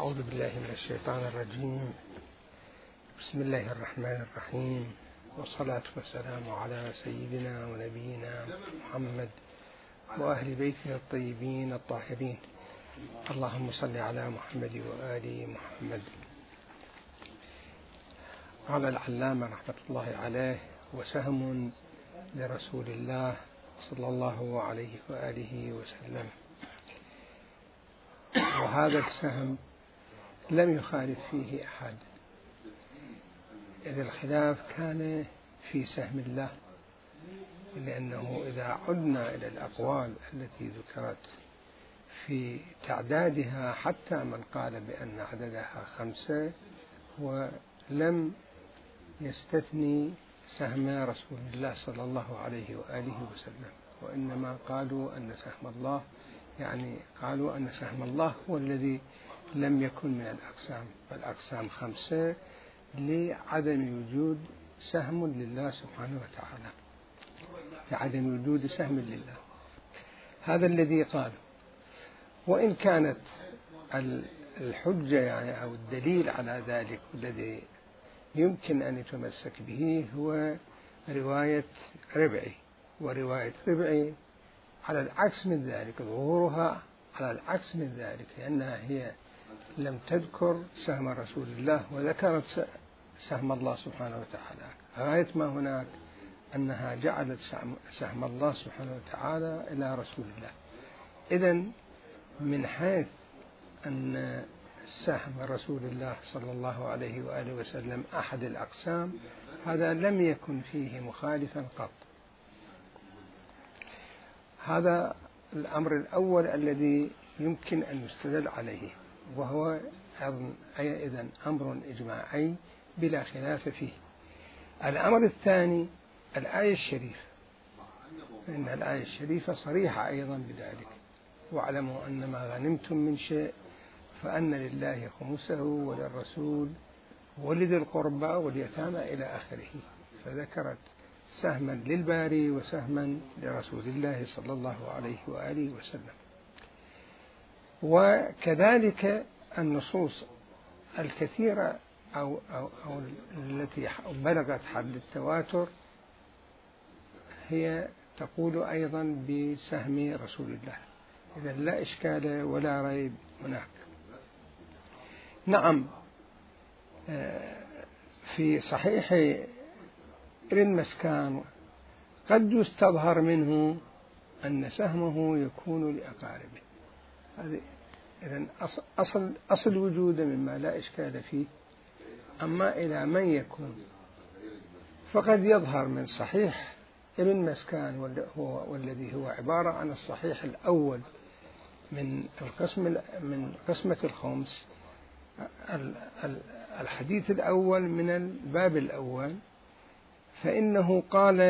أعوذ بالله من الشيطان الرجيم. بسم الله الرحمن الرحيم، والصلاة والسلام على سيدنا ونبينا محمد وأهل بيته الطيبين الطاهرين. اللهم صل على محمد وآل محمد. قال العلامة رحمة الله عليه: وسهم لرسول الله صلى الله عليه وآله وسلم. وهذا السهم لم يخالف فيه أحد، إذ الخلاف كان في سهم الله، لأنه إذا عدنا إلى الأقوال التي ذكرت في تعدادها، حتى من قال بأن عددها 5 ولم يستثني سهم رسول الله صلى الله عليه وآله وسلم، وإنما قالوا أن سهم الله، قالوا أن سهم الله هو الذي لم يكن من الأقسام، فالأقسام 5 لعدم وجود سهم لله سبحانه وتعالى، لعدم وجود سهم لله. هذا الذي قالوا. وإن كانت الحجة أو الدليل على ذلك الذي يمكن أن يتمسك به هو رواية ربعي، ورواية ربعي على العكس من ذلك، ظهورها على العكس من ذلك، لأنها هي لم تذكر سهم رسول الله وذكرت سهم الله سبحانه وتعالى. غاية ما هناك أنها جعلت سهم الله سبحانه وتعالى إلى رسول الله. إذن من حيث أن سهم رسول الله صلى الله عليه وآله وسلم أحد الأقسام، هذا لم يكن فيه مخالفا قط. هذا الأمر الأول الذي يمكن أن يستدل عليه، وهو إذن أمر إجماعي بلا خلاف فيه. الأمر الثاني الآية الشريفة، فإن الآية الشريفة صريحة أيضا بذلك: واعلموا أن ما غنمتم من شيء فأن لله خمسه وللرسول ولذي القربى واليتامى إلى آخره، فذكرت سهما للباري وسهما لرسول الله صلى الله عليه وآله وسلم. وكذلك النصوص الكثيرة أو التي بلغت حد التواتر هي تقول أيضا بسهم رسول الله. إذا لا إشكال ولا ريب هناك. نعم، في صحيح ابن مسكان قد يستظهر منه أن سهمه يكون لأقاربه. إذن أصل وجوده مما لا إشكال فيه. أما إلى من يكون، فقد يظهر من صحيح ابن مسكان والذي هو عبارة عن الصحيح الأول من قسمة الخمس، الحديث الأول من الباب الأول، فإنه قال: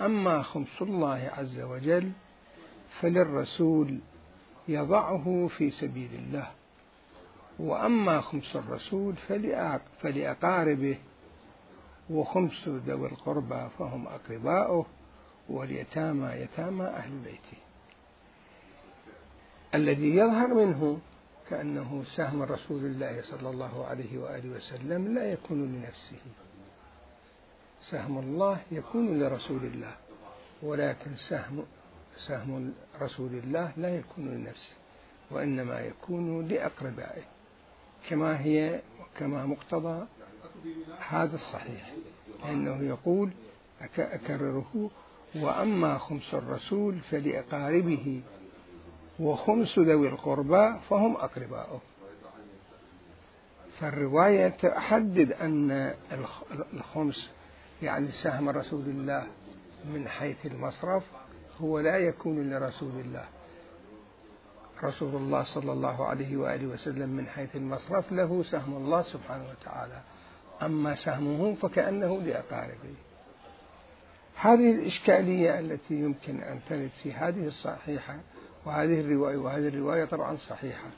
أما خمس الله عز وجل فللرسول يضعه في سبيل الله، وأما خمس الرسول فلأقاربه، وخمس ذوي القربى فهم أقرباؤه، واليتامى يتامى أهل بيته. الذي يظهر منه كأنه سهم رسول الله صلى الله عليه وآله وسلم لا يكون لنفسه، سهم الله يكون لرسول الله، ولكن سهم رسول الله لا يكون لنفسه، وإنما يكون لأقربائه، كما هي وكما مقتضى هذا الصحيح، لأنه يقول أكرره: وأما خمس الرسول فلأقاربه، وخمس ذوي القربى فهم أقرباؤه. فالرواية تحدد أن الخمس سهم رسول الله من حيث المصرف هو لا يكون لرسول الله. رسول الله صلى الله عليه وآله وسلم من حيث المصرف له سهم الله سبحانه وتعالى، أما سهمه فكأنه لأقاربه. هذه الإشكالية التي يمكن أن ترد في هذه الصحيحة وهذه الرواية، وهذه الرواية طبعا صحيحة،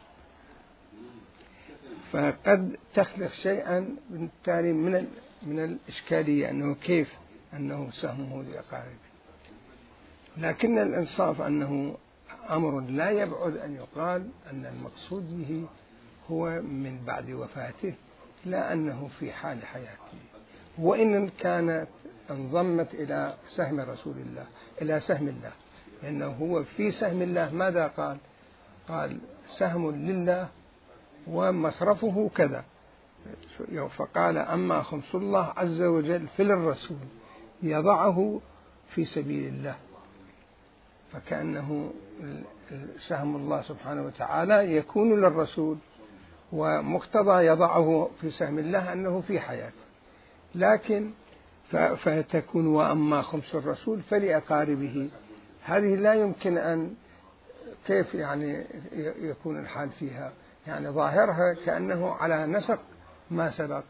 فقد تخلق شيئا بالتالي من الإشكالية أنه كيف أنه سهمه لأقاربه. لكن الإنصاف أنه أمر لا يبعد أن يقال أن المقصود به هو من بعد وفاته، لا أنه في حال حياته، وإن كانت انضمت إلى سهم رسول الله، إلى سهم الله، لأنه هو في سهم الله ماذا قال؟ قال سهم لله ومصرفه كذا، فقال أما خمس الله عز وجل فللرسول يضعه في سبيل الله، فكأنه سهم الله سبحانه وتعالى يكون للرسول، ومقتضى يضعه في سهم الله أنه في حياته، لكن فتكون وأما خمس الرسول فلأقاربه، هذه لا يمكن أن كيف يعني يكون الحال فيها، يعني ظاهرها كأنه على نسق ما سبق،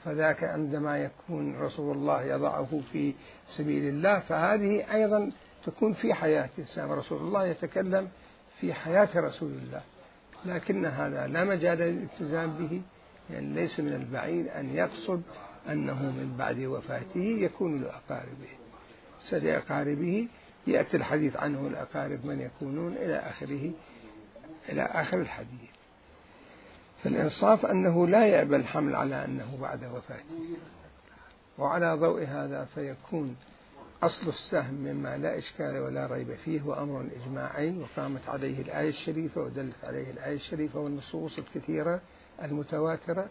فذاك عندما يكون رسول الله يضعه في سبيل الله فهذه أيضا تكون في حياته، سام رسول الله يتكلم في حياة رسول الله، لكن هذا لا مجال للالتزام به، يعني ليس من البعيد أن يقصد أنه من بعد وفاته يكون لأقاربه، لأقاربه يأتي الحديث عنه الأقارب من يكونون إلى آخره، إلى آخر الحديث. فالإنصاف أنه لا يأبى الحمل على أنه بعد وفاته، وعلى ضوء هذا فيكون أصل السهم مما لا إشكال ولا ريب فيه وأمر إجماعي، وقامت عليه الآية الشريفة ودلت عليه الآية الشريفة والنصوص الكثيرة المتواترة،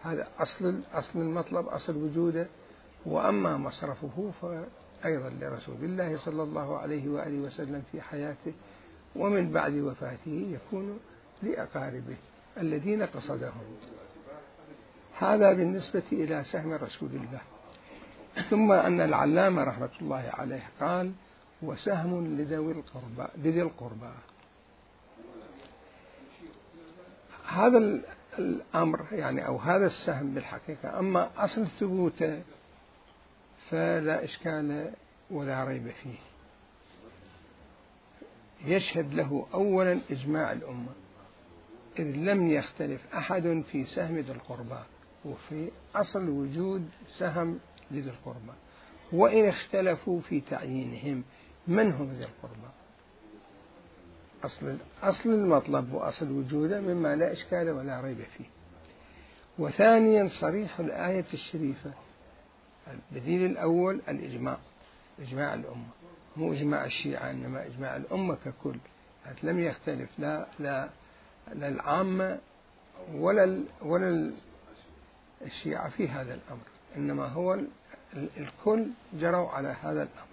هذا أصل المطلب، أصل وجوده. وأما مصرفه فأيضا لرسول الله صلى الله عليه وآله وسلم في حياته، ومن بعد وفاته يكون لأقاربه الذين قصدهم. هذا بالنسبة إلى سهم رسول الله. ثم أن العلامة رحمة الله عليه قال وسهم لذي القربى. هذا الأمر يعني أو هذا السهم بالحقيقة أما أصل ثبوته فلا إشكال ولا ريب فيه، يشهد له أولا إجماع الأمة، إذ لم يختلف أحد في سهم ذي القربى وفي أصل وجود سهم لذي القربى، وإن اختلفوا في تعيينهم من هم ذي القربى، أصل المطلب وأصل وجوده مما لا إشكال ولا ريب فيه. وثانيا صريح الآية الشريفة، الدليل الأول الإجماع، إجماع الأمة، مو إجماع الشيعة إنما إجماع الأمة ككل، لم يختلف لا العامة ولا الشيعة في هذا الأمر، إنما هو الكل جروا على هذا الأمر.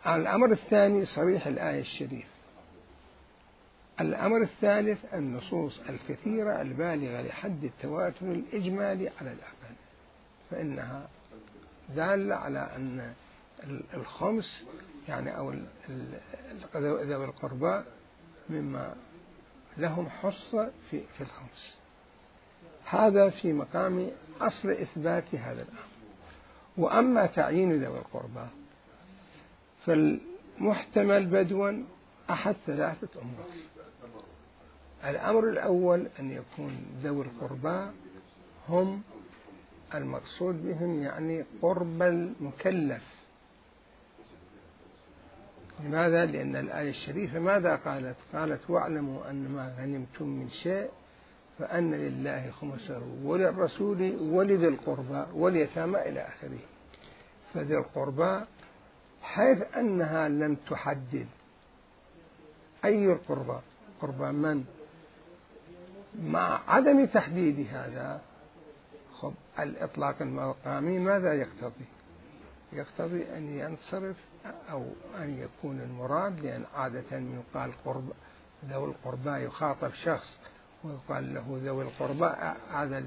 الأمر الثاني صريح الآية الشريفة. الأمر الثالث النصوص الكثيرة البالغة لحد التواتر الإجمالي على الأقل، فإنها دالة على أن الخمس يعني أو ذوي القربى مما لهم حصة في الخمس. هذا في مقام أصل إثبات هذا الأمر. وأما تعيين ذوي القربى فالمحتمل بدوا أحد ثلاثة أمور. الأمر الأول أن يكون ذوي القربى هم المقصود بهم يعني قرب المكلف. لماذا؟ لأن الآية الشريفة ماذا قالت؟ قالت واعلموا أن ما غنمتم من شيء فأن لله خمسه وللرسول ولذي القربى واليتامى إلى آخره. فذي القربى حيث أنها لم تحدد أي القربى، قربى من، مع عدم تحديد هذا الإطلاق المقامي ماذا يقتضي؟ يقتضي أن ينصرف أو أن يكون المراد، لأن عادة يقال ذوي القربى يخاطب شخص ويقال له ذوي القربى، هذا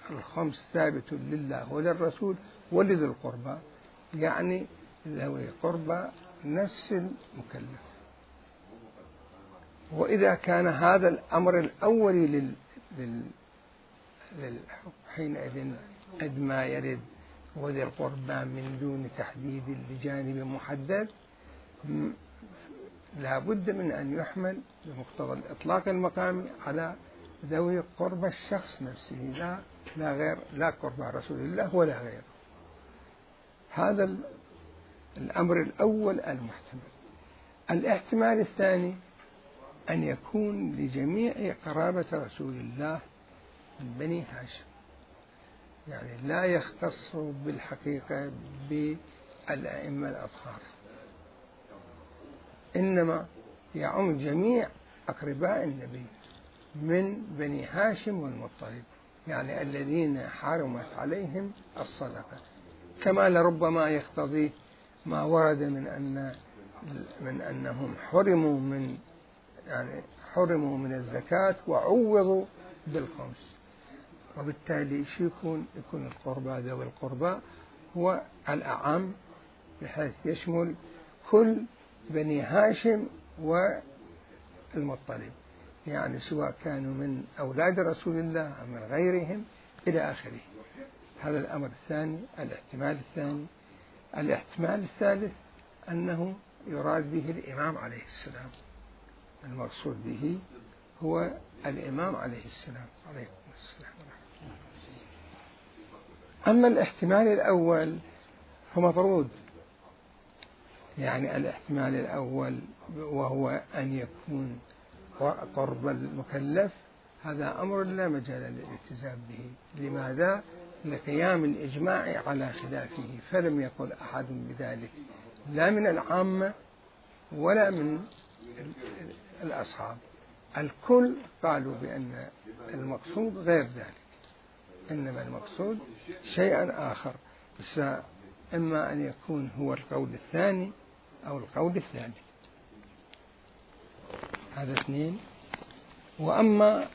الخمس ثابت لله وللرسول ولذي القربى، يعني ذوي القربى نفس المكلف. وإذا كان هذا الأمر الأولي حينئذ قد ما يرد وذي القربى من دون تحديد لجانب محدد لا بد من أن يحمل بمقتضى الإطلاق المقامي على ذوي قربى الشخص نفسه، لا غير، لا قربى رسول الله ولا غيره. هذا الأمر الأول المحتمل. الاحتمال الثاني أن يكون لجميع قرابة رسول الله من بني هاشم، يعني لا يختص بالحقيقة بالأئمة الأطهار، إنما يعم جميع أقرباء النبي من بني هاشم والمطلب، يعني الذين حرمت عليهم الصدقة، كما لربما يقتضي ما ورد من أنهم حرموا من الزكاة وعوضوا بالخمس، وبالتالي شو يكون القربى ذوي القربى هو الأعم بحيث يشمل كل بني هاشم والمطلب، يعني سواء كانوا من أولاد رسول الله أو من غيرهم إلى آخره. هذا الأمر الثاني، الاحتمال الثاني. الاحتمال الثالث أنه يراد به الإمام عليه السلام، المقصود به هو الإمام عليه السلام عليكم السلام. أما الاحتمال الأول فمطرود، يعني الاحتمال الأول وهو أن يكون قرب المكلف، هذا أمر لا مجال للالتزام به. لماذا؟ لقيام الإجماع على خلافه، فلم يقل أحد بذلك لا من العامة ولا من الأصحاب، الكل قالوا بأن المقصود غير ذلك، إنما المقصود شيئا آخر، بس إما أن يكون هو القول الثاني أو القول الثالث. هذا اثنين. وأما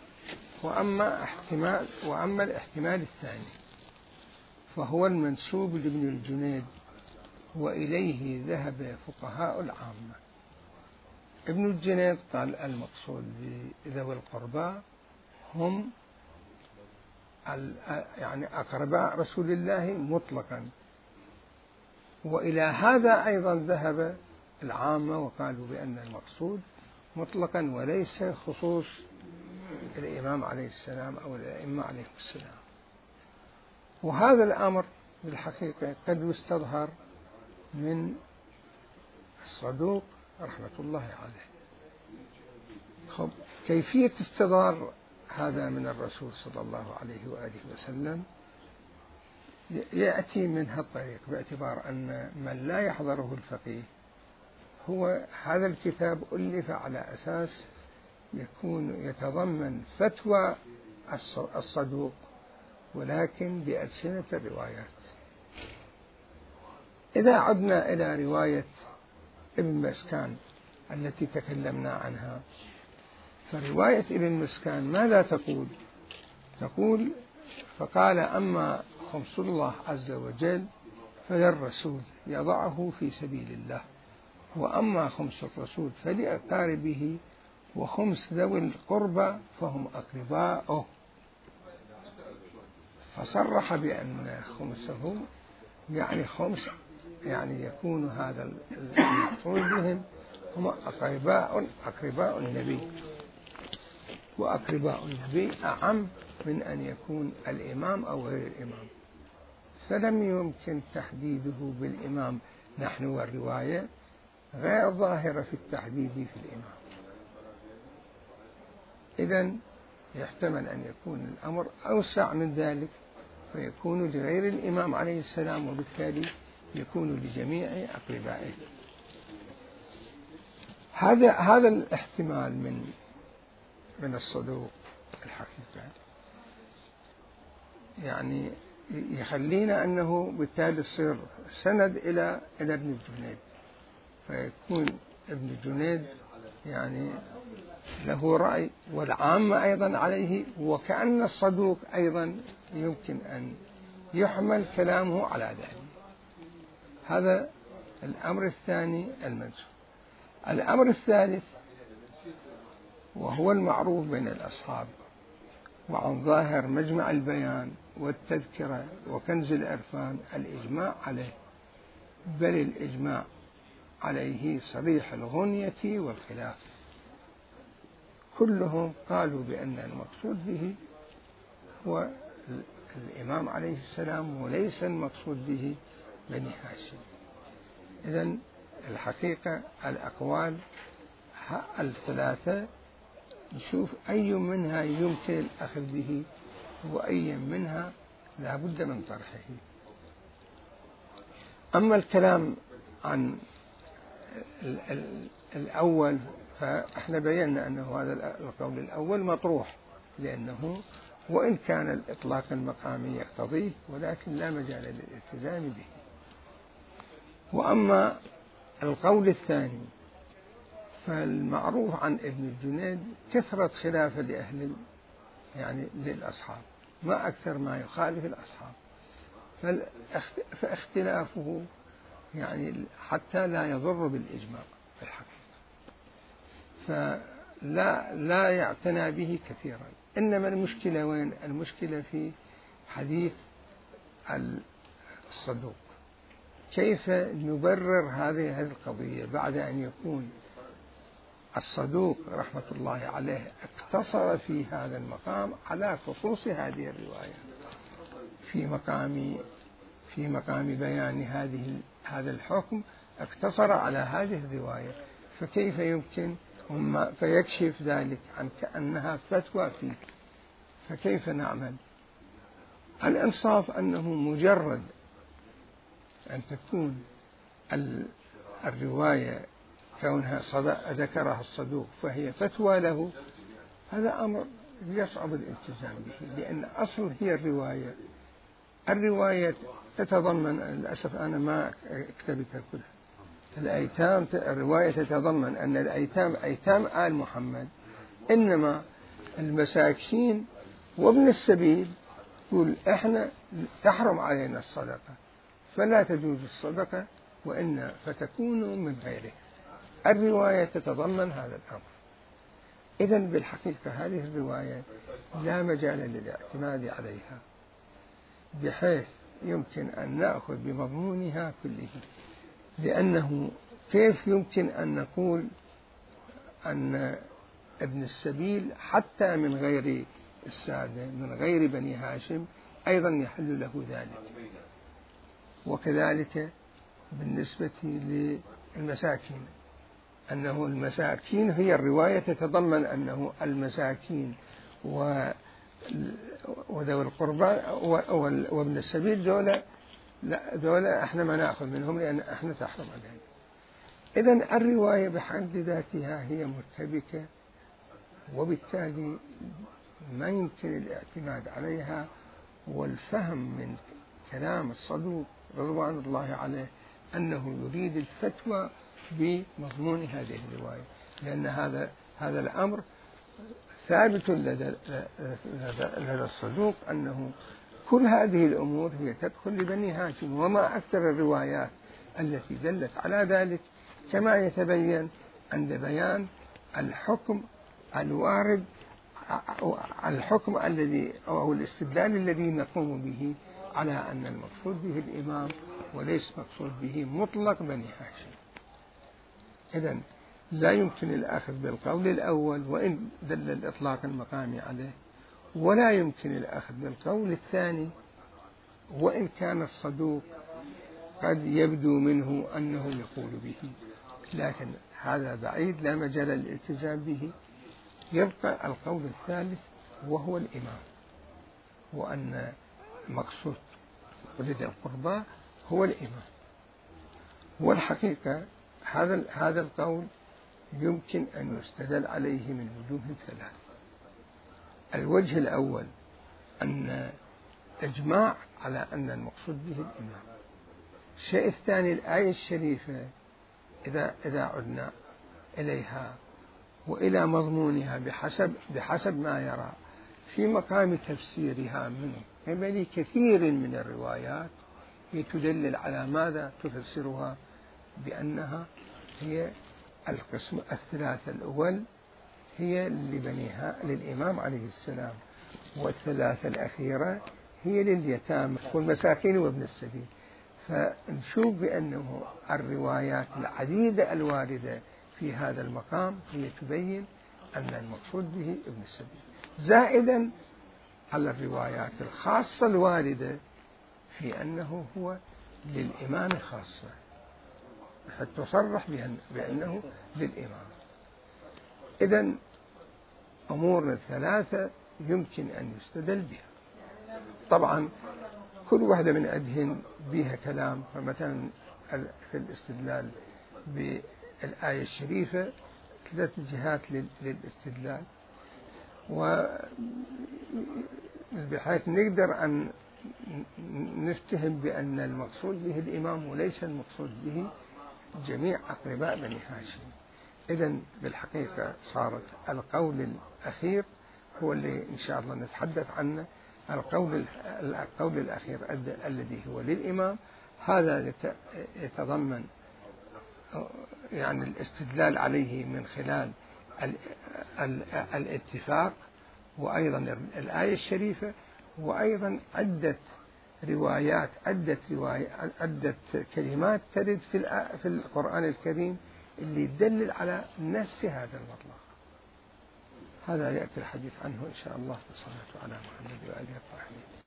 الاحتمال الثاني فهو المنسوب لابن الجنيد، وإليه ذهب فقهاء العامة. ابن الجنيد قال المقصود بذوي القربى هم يعني أقرباء رسول الله مطلقا، وإلى هذا أيضا ذهب العامة وقالوا بأن المقصود مطلقا وليس خصوص الإمام عليه السلام أو الأئمة عليه السلام. وهذا الأمر بالحقيقة قد يستظهر من الصدوق رحمة الله عليه. كيفية استظهار هذا من الرسول صلى الله عليه وآله وسلم يأتي من هالطريق، باعتبار أن من لا يحضره الفقيه هو هذا الكتاب ألف على أساس يتضمن فتوى الصدوق ولكن بألسنة الروايات. إذا عدنا إلى رواية ابن مسكان التي تكلمنا عنها، فرواية ابن مسكان ماذا تقول فقال أما خمس الله عز وجل فللرسول يضعه في سبيل الله، وأما خمس الرسول فلأقاربه، وخمس ذوي القربى فهم أقرباؤه. فصرح بأن خمسه يعني خمس، يعني يكون هذا المقصود بهم هم أقرباء النبي، وأقرباء النبي أعم من أن يكون الإمام أو غير الإمام، فلم يمكن تحديده بالإمام نحن، والرواية غير ظاهرة في التحديد في الإمام. إذن يحتمل أن يكون الأمر أوسع من ذلك، فيكون لغير الإمام عليه السلام، وبالتالي يكون لجميع أقربائه. هذا الاحتمال من الصدوق الحقيقة يعني يخلينا أنه بالتالي يصير سند إلى ابن الجنيد، فيكون ابن الجنيد يعني له رأي والعامة أيضا عليه، وكأن الصدوق أيضا يمكن أن يحمل كلامه على ذلك. هذا الأمر الثاني المنسوب. الأمر الثالث وهو المعروف بين الأصحاب وعن ظاهر مجمع البيان والتذكرة وكنز العرفان الإجماع عليه، بل الإجماع عليه صريح الغنية والخلاف، كلهم قالوا بأن المقصود به هو الإمام عليه السلام وليس المقصود به بني هاشم. إذن الحقيقة الأقوال الثلاثة نشوف أي منها يمكن الأخذ به وأي منها لا بد من طرحه. أما الكلام عن الأول فإحنا بينا أنه هذا القول الأول مطروح، لأنه وإن كان الإطلاق المقامي يقتضيه ولكن لا مجال للالتزام به. وأما القول الثاني فالمعروف عن ابن الجنيد كثرة خلافه لأهل يعني للأصحاب، ما أكثر ما يخالف الأصحاب، فاختلافه يعني حتى لا يضر بالإجماع في الحقيقة، فلا يعتنى به كثيرا. إنما المشكلة وين؟ المشكلة في حديث الصدوق، كيف نبرر هذه القضية بعد أن يكون الصدوق رحمة الله عليه اقتصر في هذا المقام على خصوص هذه الرواية في مقام بيان هذا الحكم، اقتصر على هذه الرواية، فكيف يمكن فيكشف ذلك عن كأنها فتوى فيه، فكيف نعمل؟ الإنصاف أنه مجرد أن تكون الرواية كونها ذكرها الصدوق فهي فتوى له، هذا أمر يصعب الالتزام به، لأن أصل هي الرواية تتضمن، للأسف أنا ما كتبتها كلها، الرواية تتضمن أن الأيتام أيتام آل محمد، إنما المساكين وابن السبيل يقول إحنا تحرم علينا الصدقة فلا تجوز الصدقة وإن فتكون من غيره. الرواية تتضمن هذا الأمر. إذن بالحقيقة هذه الرواية لا مجال للاعتماد عليها بحيث يمكن أن نأخذ بمضمونها كله، لأنه كيف يمكن أن نقول أن ابن السبيل حتى من غير السادة من غير بني هاشم أيضا يحل له ذلك، وكذلك بالنسبة للمساكين أنه المساكين هي الرواية تتضمن أنه المساكين وذوي القربى وابن السبيل دولة احنا ما نأخذ منهم لأن احنا تحرم علينا. إذن الرواية بحد ذاتها هي مرتبكة، وبالتالي ما يمكن الاعتماد عليها، والفهم من كلام الصدوق رضوان الله عليه أنه يريد الفتوى بمضمون هذه الرواية، لأن هذا الأمر ثابت لدى الصدوق أنه كل هذه الأمور هي تدخل لبني هاشم، وما أكثر الروايات التي دلت على ذلك، كما يتبين عند بيان الحكم الوارد، الحكم الذي أو الاستدلال الذي نقوم به على أن المقصود به الإمام وليس مقصود به مطلق بني هاشم. إذن لا يمكن الأخذ بالقول الأول وإن دل الإطلاق المقامي عليه، ولا يمكن الأخذ بالقول الثاني وإن كان الصدوق قد يبدو منه أنه يقول به، لكن هذا بعيد لا مجال للالتزام به. يبقى القول الثالث وهو الإمام، وأن مقصود ولد القربى هو الإمام. والحقيقة هذا القول يمكن أن يستدل عليه من وجوه ثلاث. الوجه الأول أن إجماع على أن المقصود به الإمام. الشيء الثاني الآية الشريفة إذا عدنا إليها وإلى مضمونها بحسب ما يرى في مقام تفسيرها من قبل كثير من الروايات، تدلل على ماذا؟ تفسرها بأنها هي القسم الثلاثة الأول هي للإمام عليه السلام، والثلاثة الأخيرة هي لليتامى والمساكين وابن السبيل. فنشوف بأنه الروايات العديدة الواردة في هذا المقام هي تبين أن المقصود به ابن السبيل، زائدا على الروايات الخاصة الواردة في أنه هو للإمام خاصة، حتى تصرح بأنه للإمام. إذن أمور ثلاثة يمكن أن يستدل بها. طبعا كل واحدة من عندهن بها كلام. فمثلا في الاستدلال بالآية الشريفة 3 جهات للاستدلال، وبحيث نقدر أن نفتهم بأن المقصود به الإمام وليس المقصود به جميع أقرباء بني هاشم. إذن بالحقيقة صارت القول الأخير هو اللي إن شاء الله نتحدث عنه. القول الأخير الذي هو للإمام، هذا يتضمن يعني الاستدلال عليه من خلال الاتفاق، وأيضا الآية الشريفة، وأيضا عدة كلمات ترد في القرآن الكريم اللي يدلل على نفس هذا المطلب. هذا يأتي الحديث عنه إن شاء الله. والصلاة على محمد وآله الطاهرين.